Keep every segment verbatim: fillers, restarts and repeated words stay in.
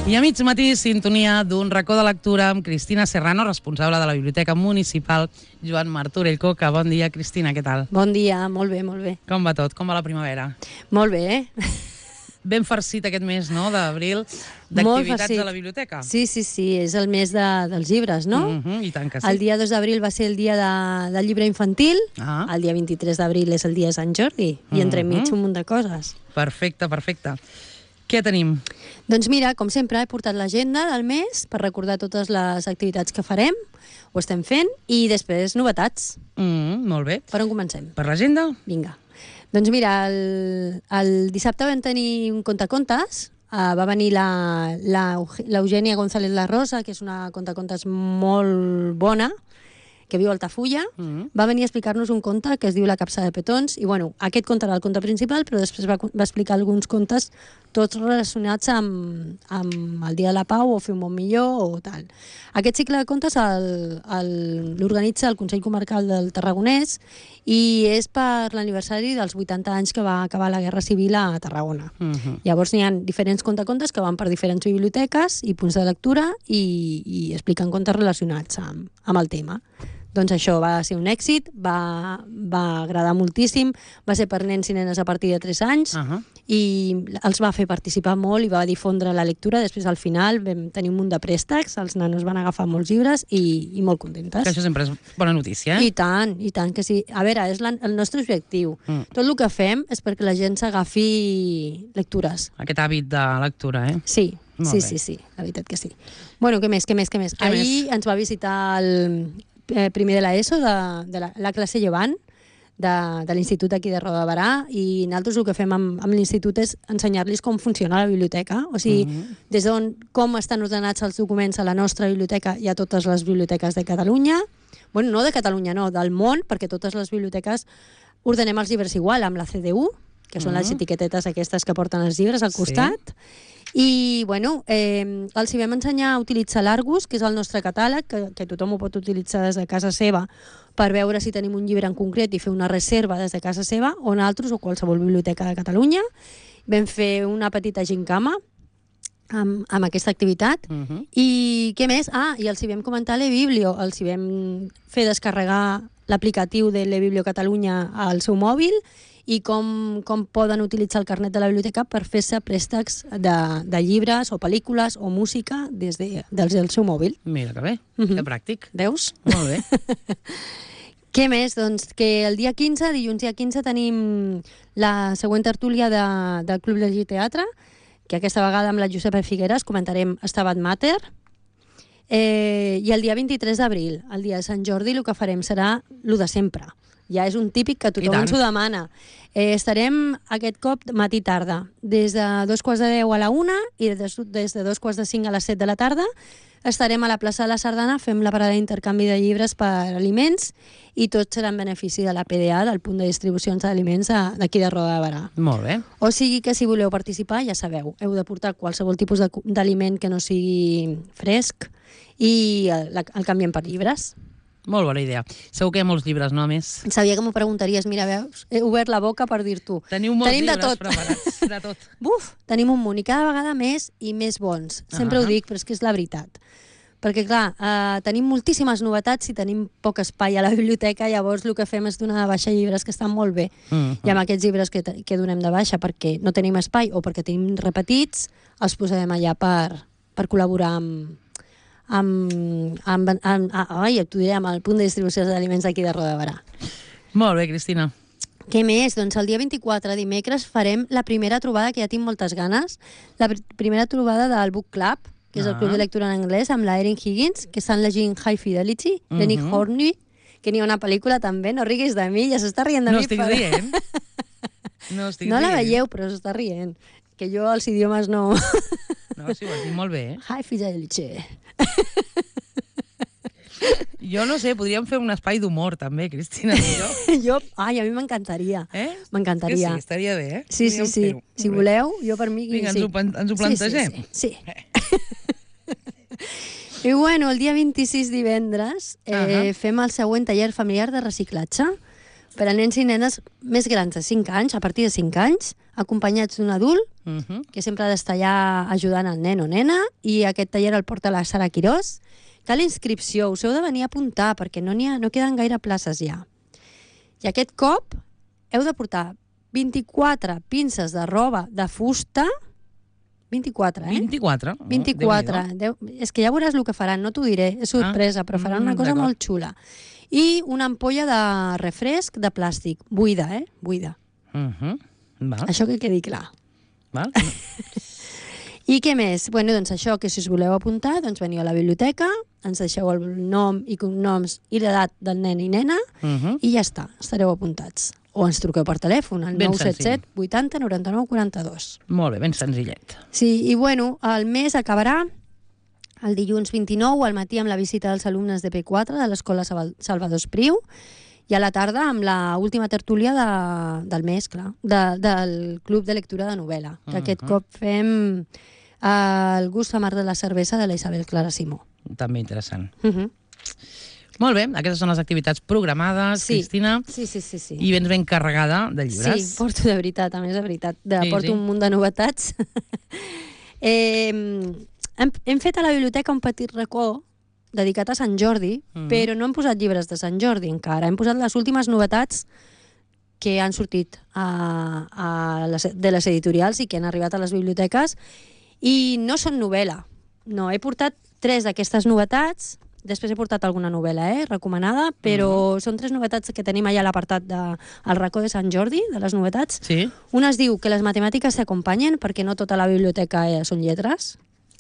I a mig matí, sintonia d'un racó de lectura amb Cristina Serrano, responsable de la Biblioteca Municipal Joan Martorell Coca. Bon dia, Cristina, què tal? Bon dia, molt bé, molt bé. Com va tot? Com va la primavera? Molt bé, eh? Ben farcit aquest mes, no?, d'abril, d'activitats a la biblioteca. Sí, sí, sí, és el mes de, dels llibres, no? Mm -hmm, I tant que sí. El dia dos d'abril va ser el dia de, del llibre infantil, ah. el dia vint-i-tres d'abril és el dia de Sant Jordi, i mm -hmm. entremig un munt de coses. Perfecte, perfecte. Què tenim? Doncs mira, com sempre, he portat l'agenda del mes per recordar totes les activitats que farem, ho estem fent, i després novetats. Mm, molt bé. Per on comencem? Per l'agenda? Vinga. Doncs mira, el, el dissabte vam tenir un contacontes, uh, va venir l'Eugènia González La Rosa, que és una contacontes molt bona, que viu a Altafulla, mm-hmm. va venir a explicar-nos un conte que es diu La capsa de petons, i bueno, aquest conte era el conte principal, però després va, va explicar alguns contes tots relacionats amb, amb el Dia de la Pau o Fer un món millor o tal. Aquest cicle de contes l'organitza el Consell Comarcal del Tarragonès i és per l'aniversari dels vuitanta anys que va acabar la Guerra Civil a Tarragona. Mm-hmm. Llavors n'hi ha diferents contacontes que van per diferents biblioteques i punts de lectura i, i expliquen contes relacionats amb, amb el tema. Doncs això va ser un èxit, va, va agradar moltíssim, va ser per nens i nenes a partir de tres anys uh -huh. i els va fer participar molt i va difondre la lectura. Després, al final, vam tenir un munt de préstecs, els nanos van agafar molts llibres i, i molt contentes. Que això sempre és bona notícia, eh? I tant, i tant que sí. A veure, és la, el nostre objectiu. Mm. Tot el que fem és perquè la gent s'agafi lectures. Aquest hàbit de lectura, eh? Sí. Molt sí, bé. sí, sí, la veritat que sí. Bueno, què més, què més, què més? Què Ahir més? ens va visitar el eh, primer de l'ESO, de, de la, la classe llevant, de, de l'institut aquí de Roda de Barà, i nosaltres el que fem amb, amb l'institut és ensenyar-los com funciona la biblioteca, o sigui, mm -hmm. des d'on, com estan ordenats els documents a la nostra biblioteca i a totes les biblioteques de Catalunya, bueno, no de Catalunya, no, del món, perquè totes les biblioteques ordenem els llibres igual, amb la C D U, que són mm -hmm. les etiquetetes aquestes que porten els llibres al costat, sí. I, bueno, eh, els hi vam ensenyar a utilitzar l'Argus, que és el nostre catàleg, que, que tothom ho pot utilitzar des de casa seva per veure si tenim un llibre en concret i fer una reserva des de casa seva, o nosaltres, o qualsevol biblioteca de Catalunya. Vam fer una petita gincama amb, amb aquesta activitat. Uh-huh. I què més? Ah, i els hi vam comentar l'eBiblio, els hi vam fer descarregar l'aplicatiu de l'eBiblio Catalunya al seu mòbil i com, com poden utilitzar el carnet de la biblioteca per fer-se préstecs de, de llibres o pel·lícules o música des, de, des del seu mòbil. Mira que bé, uh-huh. que pràctic. Veus? Molt bé. Què més? Doncs que el dia quinze, dilluns dia quinze, tenim la següent tertúlia de, del Club Llegir Teatre, que aquesta vegada amb la Josepa Figueres comentarem Stabat Mater. Eh, I el dia vint-i-tres d'abril, el dia de Sant Jordi, el que farem serà el de sempre. Ja és un típic que tothom ens ho demana. Eh, estarem aquest cop matí-tarda, des de dos quarts de deu a la una i des, des de dos quarts de cinc a les set de la tarda. Estarem a la plaça de la Sardana, fem la parada d'intercanvi de llibres per aliments i tot serà en benefici de la P D A, del punt de distribucions d'aliments d'aquí de Roda de Barà. Molt bé. O sigui que si voleu participar, ja sabeu, heu de portar qualsevol tipus d'aliment que no sigui fresc i el, el canviem per llibres. Molt bona idea. Segur que hi ha molts llibres, no, a més? Sabia que m'ho preguntaries. Mira, veus? He obert la boca per dir-t'ho. Teniu molts tenim llibres de tot. preparats, de tot. Buf, tenim un munt, i cada vegada més i més bons. Sempre uh -huh. ho dic, però és que és la veritat. Perquè, clar, eh, tenim moltíssimes novetats i tenim poc espai a la biblioteca, llavors el que fem és donar de baixa llibres que estan molt bé. Uh -huh. I amb aquests llibres que, que donem de baixa perquè no tenim espai o perquè tenim repetits, els posarem allà per, per col·laborar amb... amb, amb, amb, amb, ai, t'ho diré, amb el punt de distribució d'aliments d'aquí de Roda de Barà. Molt bé, Cristina. Què més? Doncs el dia vint-i-quatre, dimecres, farem la primera trobada, que ja tinc moltes ganes, la pr primera trobada del Book Club, que és el club de lectura en anglès, amb la Erin Higgins, que estan llegint High Fidelity, de Nick Hornby, que n'hi ha una pel·lícula també, no riguis de mi, ja s'està rient de no mi. Estic per... rient. No estic no rient. la veieu, però s'està rient. Que jo els idiomes no... No, sí, ho has dit molt bé, eh? High Fidelity. Jo no sé, podríem fer un espai d'humor també, Cristina, jo. jo, ai, a mi m'encantaria. Eh? M'encantaria. Sí, estaria bé, eh? Sí, sí, sí. Si voleu, jo per mi... Vinga, sí. ens, ho, ens ho plantegem. Sí, sí, sí. sí. I bueno, el dia vint-i-sis, divendres, eh, uh -huh. fem el següent taller familiar de reciclatge. per a nens i nenes més grans de cinc anys, a partir de cinc anys, acompanyats d'un adult, Uh -huh. que sempre ha d'estar allà ajudant el nen o nena, i aquest taller el porta la Sara Quirós. Cal inscripció, us heu de venir a apuntar, perquè no, n'hi ha, no queden gaire places ja. I aquest cop heu de portar vint-i-quatre pinces de roba de fusta, vint-i-quatre, eh? vint-i-quatre? Oh, vint-i-quatre. Deu, és que ja veuràs el que faran, no t'ho diré, és sorpresa, ah, però faran una cosa molt xula. I una ampolla de refresc de plàstic, buida, eh? Buida. Uh -huh. Val. Això que quedi clar. Val. I què més? Bueno, doncs això, que si us voleu apuntar, doncs veniu a la biblioteca, ens deixeu el nom i cognoms i l'edat del nen i nena, Uh -huh. i ja està, estareu apuntats. O ens truqueu per telèfon, al Ben nou set set senzill. vuitanta noranta-nou quaranta-dos. Molt bé, ben senzillet. Sí, i bueno, el mes acabarà el dilluns vint-i-nou al matí amb la visita dels alumnes de P quatre de l'Escola Salvador Espriu, i a la tarda amb la última tertúlia de, del mes, clar, de, del Club de Lectura de Novel·la, que uh -huh. aquest cop fem uh, el gust amar de la cervesa de la Isabel Clara Simó. També interessant. Uh -huh. Molt bé, aquestes són les activitats programades, Sí. Cristina, Sí, sí, sí, sí. i vens ben carregada de llibres. Sí, porto de veritat, a més de veritat. De, Sí, porto sí. un munt de novetats. eh, hem, hem fet a la biblioteca un petit racó dedicat a Sant Jordi, Mhm. però no hem posat llibres de Sant Jordi encara. Hem posat les últimes novetats que han sortit a, a les, de les editorials i que han arribat a les biblioteques, i no són novel·la. No, he portat tres d'aquestes novetats. Després he portat alguna novel·la, eh, recomanada, però uh-huh. són tres novetats que tenim allà a l'apartat del de, racó de Sant Jordi, de les novetats. Sí? Una es diu que les matemàtiques s'acompanyen, perquè no tota la biblioteca eh, són lletres.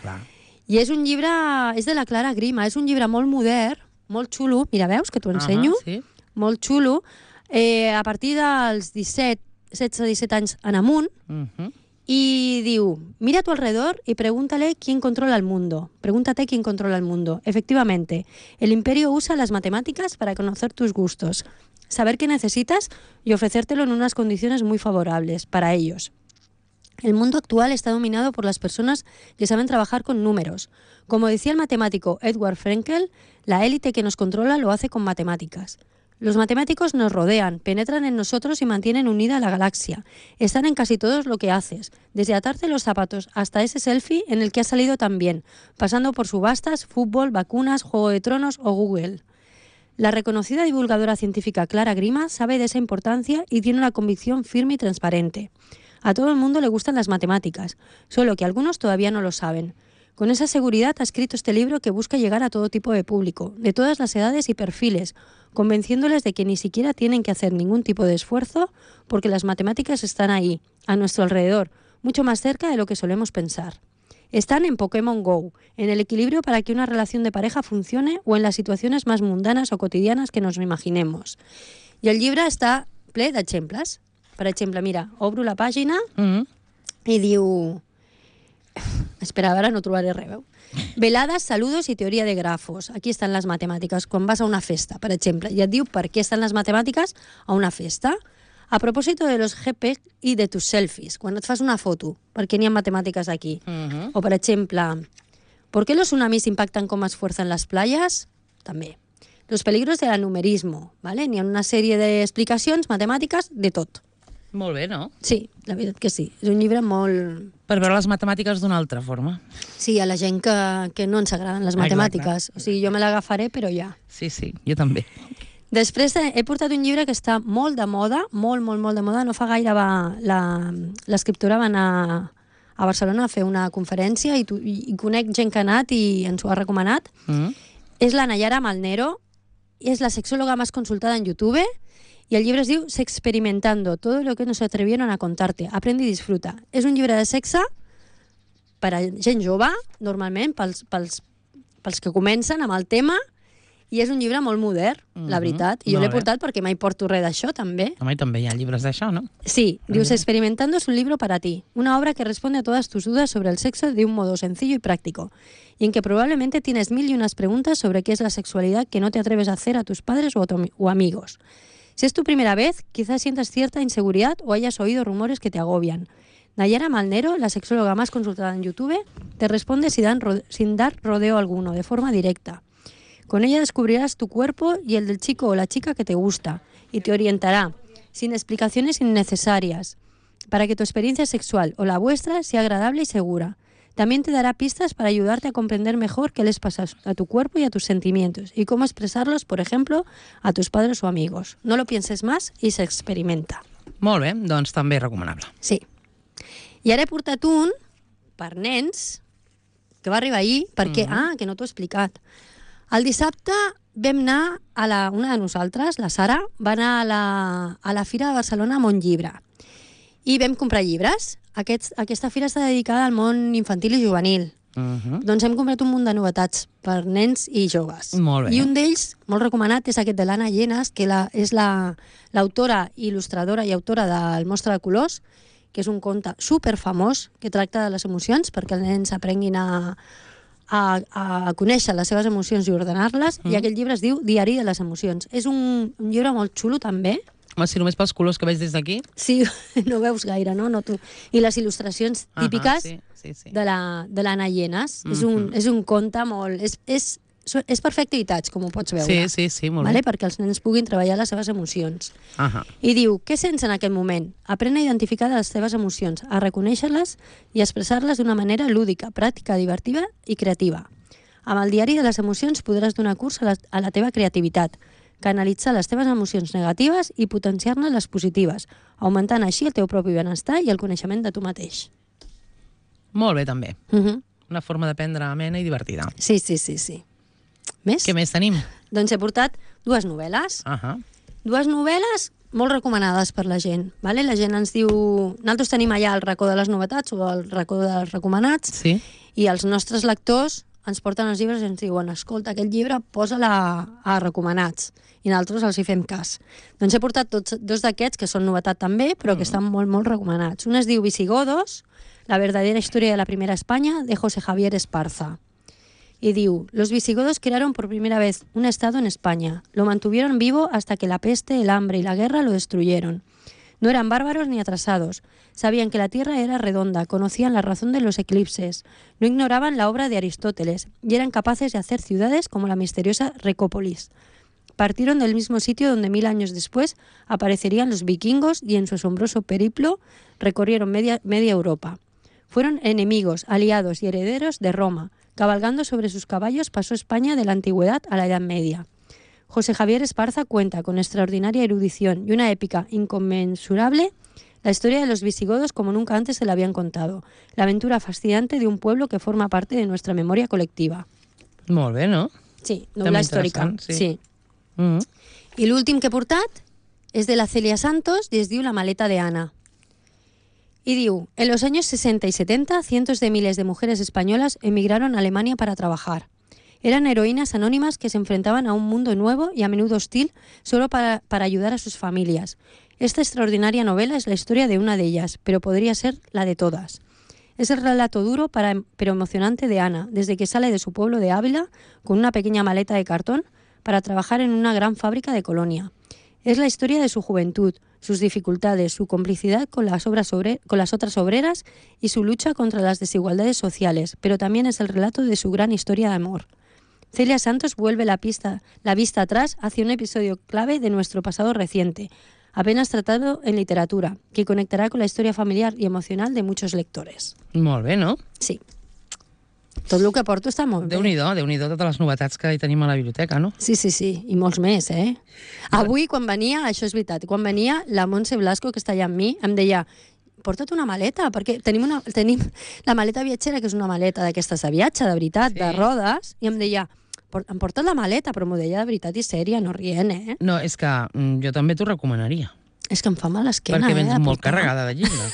Clar. I és un llibre, és de la Clara Grima, és un llibre molt modern, molt xulo, mira, veus, que t'ho ensenyo? Uh-huh, sí. Molt xulo, eh, a partir dels disset, setze disset anys en amunt, Uh-huh. y diu, mira a tu alrededor y pregúntale quién controla el mundo. Pregúntate quién controla el mundo. Efectivamente, el imperio usa las matemáticas para conocer tus gustos, saber qué necesitas y ofrecértelo en unas condiciones muy favorables para ellos. El mundo actual está dominado por las personas que saben trabajar con números. Como decía el matemático Edward Frenkel, la élite que nos controla lo hace con matemáticas. Los matemáticos nos rodean, penetran en nosotros y mantienen unida la galaxia. Están en casi todo lo que haces, desde atarte los zapatos hasta ese selfie en el que has salido tan bien, pasando por subastas, fútbol, vacunas, Juego de Tronos o Google. La reconocida divulgadora científica Clara Grima sabe de esa importancia y tiene una convicción firme y transparente. A todo el mundo le gustan las matemáticas, solo que algunos todavía no lo saben. Con esa seguridad ha escrito este libro que busca llegar a todo tipo de público, de todas las edades y perfiles, convenciéndoles de que ni siquiera tienen que hacer ningún tipo de esfuerzo porque las matemáticas están ahí, a nuestro alrededor, mucho más cerca de lo que solemos pensar. Están en Pokémon Go, en el equilibrio para que una relación de pareja funcione o en las situaciones más mundanas o cotidianas que nos imaginemos. I el llibre està ple d'exemples. Per exemple, mira, obro la pàgina Mm-hmm. i diu... Espera, ara no trobaré res, veu? Veladas, saludos y teoría de grafos. Aquí están las matemáticas. Quan vas a una festa, per exemple, i et diu per què estan les matemàtiques a una festa. A propósito de los G P y de tus selfies, quan et fas una foto, per què n'hi ha matemàtiques aquí? Mm-hmm. O, per exemple, ¿por qué los tsunamis impactan con más fuerza en las playas? També. Los peligros del numerismo, ¿vale? N'hi ha una sèrie d'explicacions matemàtiques de tot. Molt bé, no? Sí, la veritat que sí. És un llibre molt... Per veure les matemàtiques d'una altra forma. Sí, a la gent que, que no ens agraden les matemàtiques. O sigui, jo me l'agafaré, però ja. Sí, sí, jo també. Després he portat un llibre que està molt de moda, molt, molt, molt de moda. No fa gaire va l'escriptora va anar a Barcelona a fer una conferència i, tu, i, i conec gent que ha anat i ens ho ha recomanat. Mm. És la Nayara Malnero, és la sexóloga más consultada en YouTube. Y el llibre es diu Sexperimentando, todo lo que nos atrevieron a contarte. Aprende i disfruta. És un llibre de sexe per a gent jove, normalment, pels, pels, pels que comencen amb el tema, i és un llibre molt modern, mm-hmm. la veritat. I jo l'he portat perquè mai porto res d'això, també. Home, i també hi ha llibres d'això, no? Sí, diu Sexperimentando es un libro para ti, una obra que responde a todas tus dudas sobre el sexo de un modo sencillo y práctico, y en que probablemente tienes mil y unas preguntas sobre qué es la sexualidad que no te atreves a hacer a tus padres o, o amigos. Si es tu primera vez, quizás sientas cierta inseguridad o hayas oído rumores que te agobian. Nayara Malnero, la sexóloga más consultada en YouTube, te responde sin dar rodeo alguno, de forma directa. Con ella descubrirás tu cuerpo y el del chico o la chica que te gusta y te orientará, sin explicaciones innecesarias, para que tu experiencia sexual o la vuestra sea agradable y segura. También te dará pistas para ayudarte a comprender mejor qué les pasa a tu cuerpo y a tus sentimientos y cómo expresarlos, por ejemplo, a tus padres o amigos. No lo pienses más i s'experimenta. Molt bé, doncs també recomanable. Sí. I ara he portat un per nens que va arribar ahir perquè, mm-hmm. ah, que no t'ho he explicat. El dissabte vam anar a la, una de nosaltres, la Sara, va anar a la, a la Fira de Barcelona amb un llibre i vam comprar llibres. Aquest, aquesta fira està dedicada al món infantil i juvenil. Uh-huh. Doncs hem comprat un munt de novetats per nens i joves. Molt bé. I un d'ells, molt recomanat, és aquest de l'Anna Llenas, que la, és l'autora, la, il·lustradora i autora del Mostra de Colors, que és un conte superfamós que tracta de les emocions perquè els nens aprenguin a, a, a conèixer les seves emocions i ordenar-les. Uh-huh. I aquest llibre es diu Diari de les emocions. És un, un llibre molt xulo, també. Home, si només pels colors que veig des d'aquí... Sí, no veus gaire, no? no tu. I les il·lustracions típiques uh -huh, sí, sí, sí. de l'Anna Llenas. Mm -hmm. és, un, és un conte molt... És, és, és per fer activitats, com ho pots veure. Sí, sí, sí, molt vale? bé. Perquè els nens puguin treballar les seves emocions. Uh -huh. I diu, què sents en aquest moment? Aprèn a identificar les teves emocions, a reconèixer-les i a expressar-les d'una manera lúdica, pràctica, divertida i creativa. Amb el diari de les emocions podràs donar curs a la, a la teva creativitat, canalitzar les teves emocions negatives i potenciar-ne les positives, augmentant així el teu propi benestar i el coneixement de tu mateix. Molt bé, també. Uh -huh. Una forma d'aprendre amena i divertida. Sí, sí, sí, sí. Més? Què més tenim? Doncs he portat dues novel·les. Uh -huh. Dues novel·les molt recomanades per la gent. Vale? La gent ens diu... Nosaltres tenim allà el racó de les novetats o el racó dels recomanats, sí. I els nostres lectors ens porten els llibres i ens diuen, escolta, aquest llibre posa-la a, a recomanats. I nosaltres els hi fem cas. Doncs he portat tots, dos d'aquests, que són novetat també, però que estan molt, molt recomanats. Un es diu Visigodos, la verdadera historia de la primera España, de José Javier Esparza. Y diu, los visigodos crearon por primera vez un estado en España. Lo mantuvieron vivo hasta que la peste, el hambre y la guerra lo destruyeron. No eran bárbaros ni atrasados. Sabían que la tierra era redonda, conocían la razón de los eclipses, no ignoraban la obra de Aristóteles y eran capaces de hacer ciudades como la misteriosa Recópolis. Partieron del mismo sitio donde mil años después aparecerían los vikingos y en su asombroso periplo recorrieron media, media Europa. Fueron enemigos, aliados y herederos de Roma. Cabalgando sobre sus caballos pasó España de la antigüedad a la Edad Media. José Javier Esparza cuenta con extraordinaria erudición y una épica inconmensurable la historia de los visigodos como nunca antes se la habían contado. La aventura fascinante de un pueblo que forma parte de nuestra memoria colectiva. Molt bé, no? Sí, novel·la històrica. Sí. sí. Mm -hmm. I l'últim que he portat és de la Celia Santos i es diu La maleta de Ana. Y diu, en los años sesenta y setenta, cientos de miles de mujeres españolas emigraron a Alemania para trabajar. Eran heroínas anónimas que se enfrentaban a un mundo nuevo y a menudo hostil solo para, para ayudar a sus familias. Esta extraordinaria novela es la historia de una de ellas, pero podría ser la de todas. Es el relato duro para, pero emocionante de Ana, desde que sale de su pueblo de Ávila con una pequeña maleta de cartón para trabajar en una gran fábrica de Colonia. Es la historia de su juventud, sus dificultades, su complicidad con las, obras obre- con las otras obreras y su lucha contra las desigualdades sociales, pero también es el relato de su gran historia de amor. Celia Santos vuelve la, pista, la vista atrás hacia un episodio clave de nuestro pasado reciente, apenas tratado en literatura, que conectará con la historia familiar y emocional de muchos lectores. Molt bé, no? Sí. Tot el que porto està molt bé. Déu-n'hi-do, Déu-n'hi-do totes les novetats que hi tenim a la biblioteca, no? Sí, sí, sí, i molts més, eh? Avui, quan venia, això és veritat, quan venia la Montse Blasco, que està allà amb mi, em deia, porta't una maleta, perquè tenim, una, tenim la maleta viatgera, que és una maleta d'aquestes de viatge, de veritat, sí. de rodes, i em deia, em porta't la maleta, però m'ho deia de veritat i sèria, no rient, eh? No, és que mm, jo també t'ho recomanaria. És que em fa mal l'esquena, perquè eh? vens molt carregada de llibres.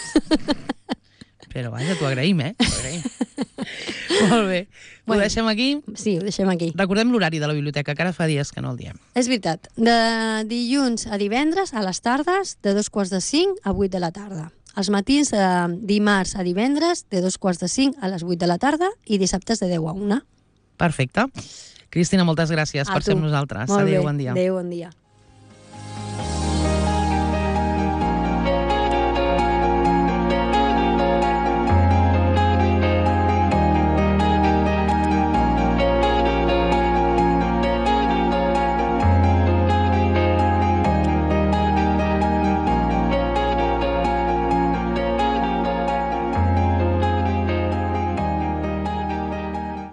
Però vaja, t'ho agraïm, eh? T'ho agraïm. Molt bé. Ho bueno, deixem aquí? Sí, ho deixem aquí. Recordem l'horari de la biblioteca, que ara fa dies que no el diem. És veritat. De dilluns a divendres, a les tardes, de dos quarts de cinc a vuit de la tarda. Els matins, de dimarts a divendres, de dos quarts de cinc a les vuit de la tarda i dissabtes de deu a una. Perfecte. Cristina, moltes gràcies a per tu. ser amb nosaltres. Molt Adéu, bé. bon dia. Adéu, bon dia.